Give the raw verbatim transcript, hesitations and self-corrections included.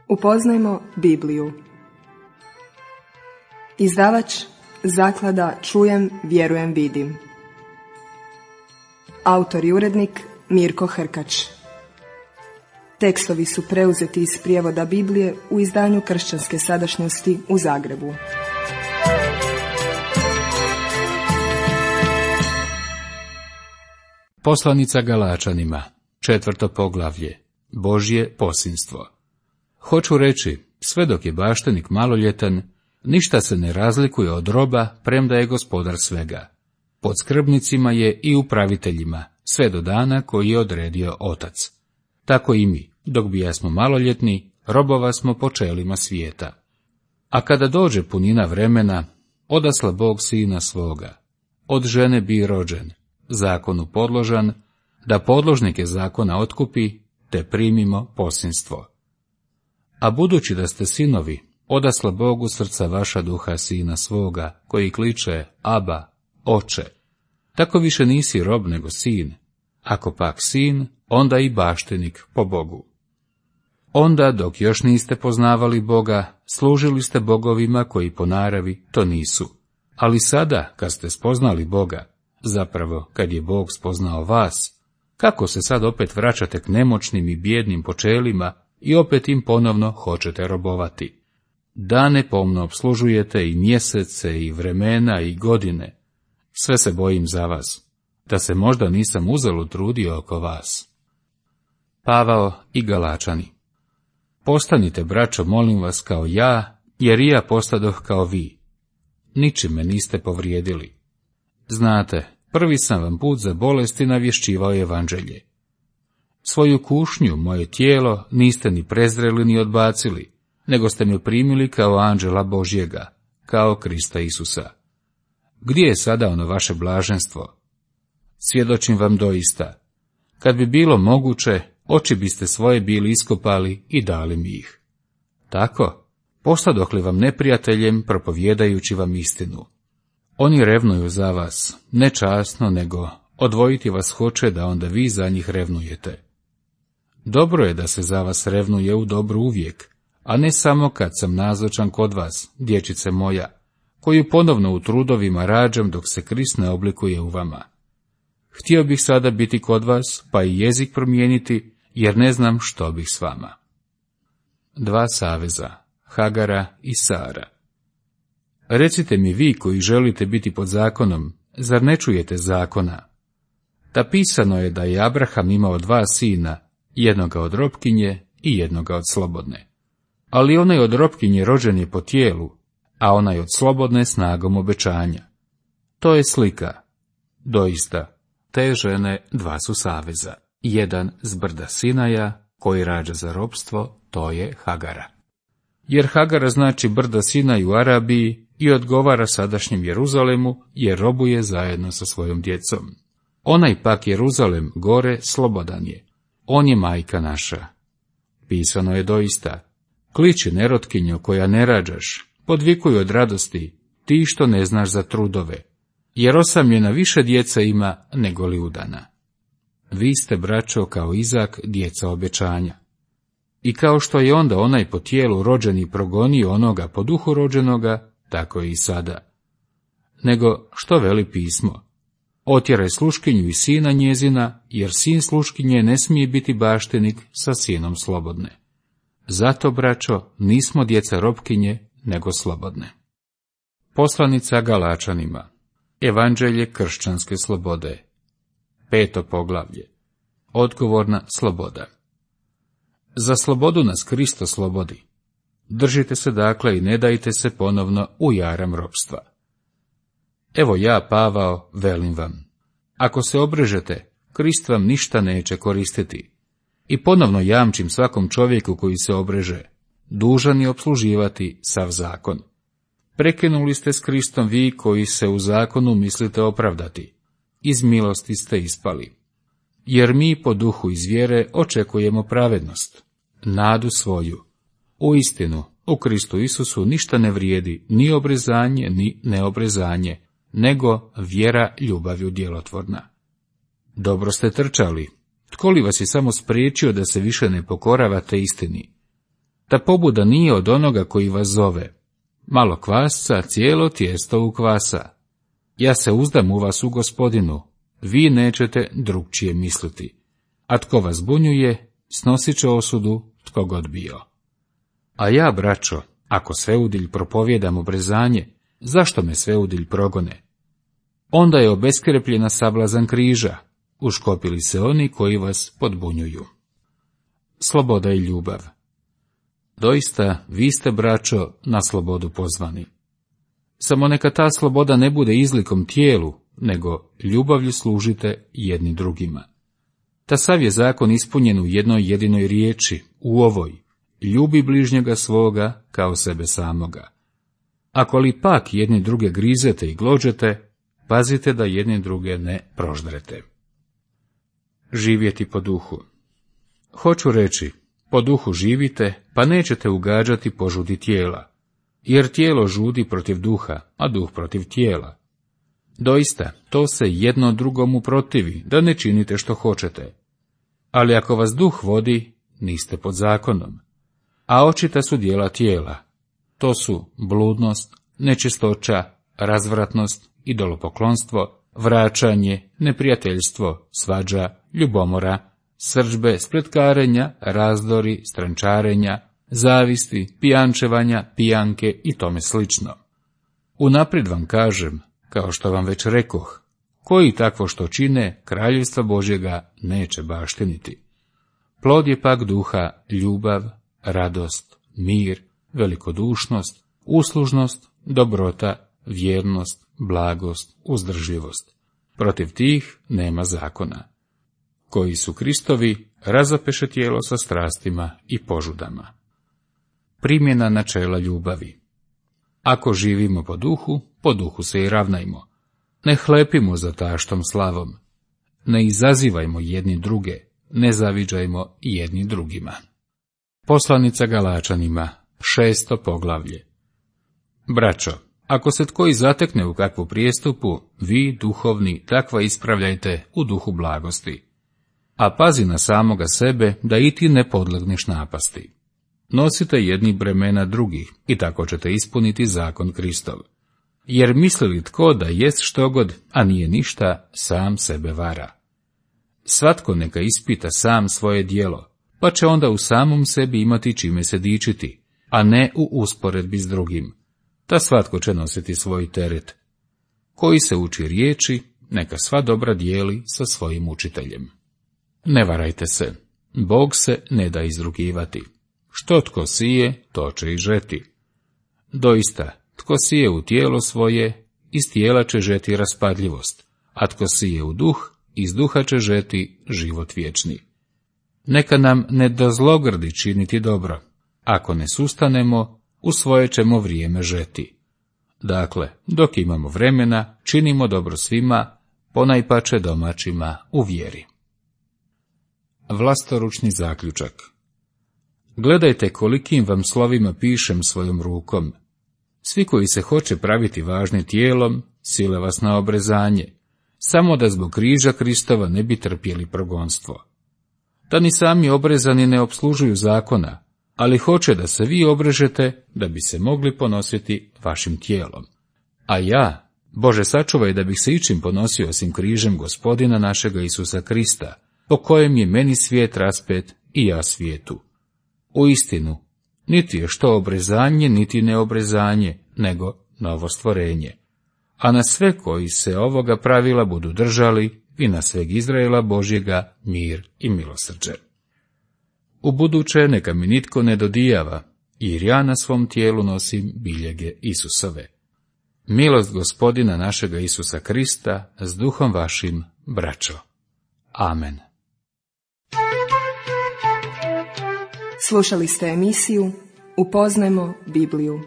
Upoznajmo Bibliju. Izdavač Zaklada Čujem, vjerujem, vidim. Autor i urednik Mirko Hrkač. Tekstovi su preuzeti iz prijevoda Biblije u izdanju Kršćanske sadašnjosti u Zagrebu. Poslanica Galačanima, četvrto poglavlje, Božje posinstvo. Hoću reći, sve dok je baštenik maloljetan, ništa se ne razlikuje od roba, premda je gospodar svega. Pod skrbnicima je i upraviteljima, sve do dana koji je odredio otac. Tako i mi, dok bijasmo maloljetni, robova smo po čelima svijeta. A kada dođe punina vremena, odasla Bog sina svoga. Od žene bi rođen, zakonu podložan, da podložnike zakona otkupi, te primimo posinstvo. A budući da ste sinovi, odasla Bogu srca vaša duha sina svoga, koji kliče Aba, oče. Tako više nisi rob nego sin, ako pak sin, onda i baštenik po Bogu. Onda, dok još niste poznavali Boga, služili ste bogovima koji po naravi to nisu. Ali sada, kad ste spoznali Boga, zapravo kad je Bog spoznao vas, kako se sad opet vraćate k nemoćnim i bijednim počelima i opet im ponovno hoćete robovati? Dane pomno obslužujete i mjesece i vremena i godine. Sve se bojim za vas, da se možda nisam uzalud trudio oko vas. Pavao i Galačani. Postanite, braćo, molim vas, kao ja, jer i ja postadoh kao vi. Ničim me niste povrijedili. Znate, prvi sam vam put za bolesti navješćivao evanđelje. Svoju kušnju, moje tijelo, niste ni prezreli ni odbacili, nego ste me primili kao anđela Božjega, kao Krista Isusa. Gdje je sada ono vaše blaženstvo? Svjedočim vam doista, kad bi bilo moguće, oči biste svoje bili iskopali i dali mi ih. Tako, postadoh li vam neprijateljem, propovjedajući vam istinu. Oni revnuju za vas, ne časno, nego odvojiti vas hoće da onda vi za njih revnujete. Dobro je da se za vas revnuje u dobru uvijek, a ne samo kad sam nazočan kod vas, dječice moja, koju ponovno u trudovima rađam dok se Krist ne oblikuje u vama. Htio bih sada biti kod vas, pa i jezik promijeniti, jer ne znam što bih s vama. Dva saveza, Hagara i Sara. Recite mi vi koji želite biti pod zakonom, zar ne čujete zakona? Ta pisano je da je Abraham imao dva sina, jednoga od robkinje i jednoga od slobodne. Ali onaj od robkinje rođen je po tijelu, a onaj od slobodne snagom obećanja. To je slika. Doista, te žene dva su saveza. Jedan s brda Sinaja, koji rađa za robstvo, to je Hagara. Jer Hagara znači brda Sinaj u Arabiji i odgovara sadašnjem Jeruzalemu, jer robuje zajedno sa svojom djecom. Onaj pak Jeruzalem gore slobodan je. On je majka naša. Pisano je doista. Kliči nerotkinjo koja ne rađaš, podvikuj od radosti, ti što ne znaš za trudove, jer osamljena više djeca ima nego li udana. Vi ste, braćo, kao Izak, djeca obećanja. I kao što je onda onaj po tijelu rođeni progonio onoga po duhu rođenoga, tako je i sada. Nego, što veli pismo? Otjeraj sluškinju i sina njezina, jer sin sluškinje ne smije biti baštenik sa sinom slobodne. Zato, braćo, nismo djeca robkinje, nego slobodne. Poslanica Galačanima. Evanđelje kršćanske slobode. Peto poglavlje. Odgovorna sloboda. Za slobodu nas Kristo slobodi. Držite se dakle i ne dajte se ponovno u jaram ropstva. Evo ja, Pavao, velim vam. Ako se obrežete, Krist vam ništa neće koristiti. I ponovno jamčim svakom čovjeku koji se obreže, dužan je opsluživati sav zakon. Prekinuli ste s Kristom vi koji se u zakonu mislite opravdati. Iz milosti ste ispali. Jer mi po duhu iz vjere očekujemo pravednost, nadu svoju. Uistinu, u Kristu Isusu ništa ne vrijedi, ni obrezanje, ni neobrezanje, nego vjera ljubavlju djelotvorna. Dobro ste trčali. Tko li vas je samo spriječio da se više ne pokoravate istini? Ta pobuda nije od onoga koji vas zove. Malo kvasca, cijelo tijesto ukvasa. Ja se uzdam u vas u Gospodinu, vi nećete drugčije misliti. A tko vas bunjuje, snosit će osudu tko god bio. A ja, braćo, ako sveudilj propovijedam obrezanje, zašto me sveudilj progone? Onda je obeskrepljena sablazan križa, uškopili se oni koji vas podbunjuju. Sloboda i ljubav. Doista, vi ste, braćo, na slobodu pozvani. Samo neka ta sloboda ne bude izlikom tijelu, nego ljubavlju služite jedni drugima. Ta sav je zakon ispunjen u jednoj jedinoj riječi, u ovoj: ljubi bližnjega svoga kao sebe samoga. Ako li pak jedni druge grizete i glođete, pazite da jedni druge ne proždrete. Živjeti po duhu. Hoću reći, po duhu živite, pa nećete ugađati požudi tijela, jer tijelo žudi protiv duha, a duh protiv tijela. Doista, to se jedno drugomu protivi, da ne činite što hoćete. Ali ako vas duh vodi, niste pod zakonom. A očita su djela tijela. To su bludnost, nečistoća, razvratnost, idolopoklonstvo, vraćanje, neprijateljstvo, svađa, ljubomora, srdžbe, spletkarenja, razdori, strančarenja, zavisti, pijančevanja, pijanke i tome slično. Unaprijed vam kažem, kao što vam već rekoh, koji takvo što čine, kraljevstva Božjega neće baštiniti. Plod je pak duha ljubav, radost, mir, velikodušnost, uslužnost, dobrota, vjernost, blagost, uzdržljivost. Protiv tih nema zakona. Koji su Kristovi, razapeše tijelo sa strastima i požudama. Primjena načela ljubavi. Ako živimo po duhu, po duhu se i ravnajmo. Ne hlepimo za taštom slavom. Ne izazivajmo jedni druge, ne zaviđajmo jedni drugima. Poslanica Galačanima, šesto poglavlje. Braćo, ako se tko i zatekne u kakvu prijestupu, vi, duhovni, takva ispravljajte u duhu blagosti. A pazi na samoga sebe, da i ti ne podlegneš napasti. Nosite jedni bremena drugih, i tako ćete ispuniti zakon Kristov. Jer misli li tko da jest štogod, a nije ništa, sam sebe vara. Svatko neka ispita sam svoje djelo, pa će onda u samom sebi imati čime se dičiti, a ne u usporedbi s drugim. Ta svatko će nositi svoj teret. Koji se uči riječi, neka sva dobra dijeli sa svojim učiteljem. Ne varajte se, Bog se ne da izrugivati. Što tko sije, to će i žeti. Doista, tko sije u tijelo svoje, iz tijela će žeti raspadljivost, a tko sije u duh, iz duha će žeti život vječni. Neka nam ne dozlogrdi činiti dobro. Ako ne sustanemo, u svoje ćemo vrijeme žeti. Dakle, dok imamo vremena, činimo dobro svima, ponajpače domaćima u vjeri. Vlastoručni zaključak. Gledajte kolikim vam slovima pišem svojom rukom. Svi koji se hoće praviti važni tijelom, sile vas na obrezanje, samo da zbog križa Kristova ne bi trpjeli progonstvo. Da ni sami obrezani ne opslužuju zakona, ali hoće da se vi obrežete, da bi se mogli ponositi vašim tijelom. A ja, Bože sačuvaj da bih se ičim ponosio osim križem Gospodina našega Isusa Krista, po kojem je meni svijet raspet i ja svijetu. U istinu, niti je što obrezanje, niti neobrezanje, nego novo stvorenje. A na sve koji se ovoga pravila budu držali, i na sveg Izraela Božjega mir i milosrđe. U buduće neka mi nitko ne dodijava, jer ja na svom tijelu nosim biljege Isusove. Milost Gospodina našega Isusa Krista s duhom vašim, braćo. Amen. Slušali ste emisiju Upoznajmo Bibliju.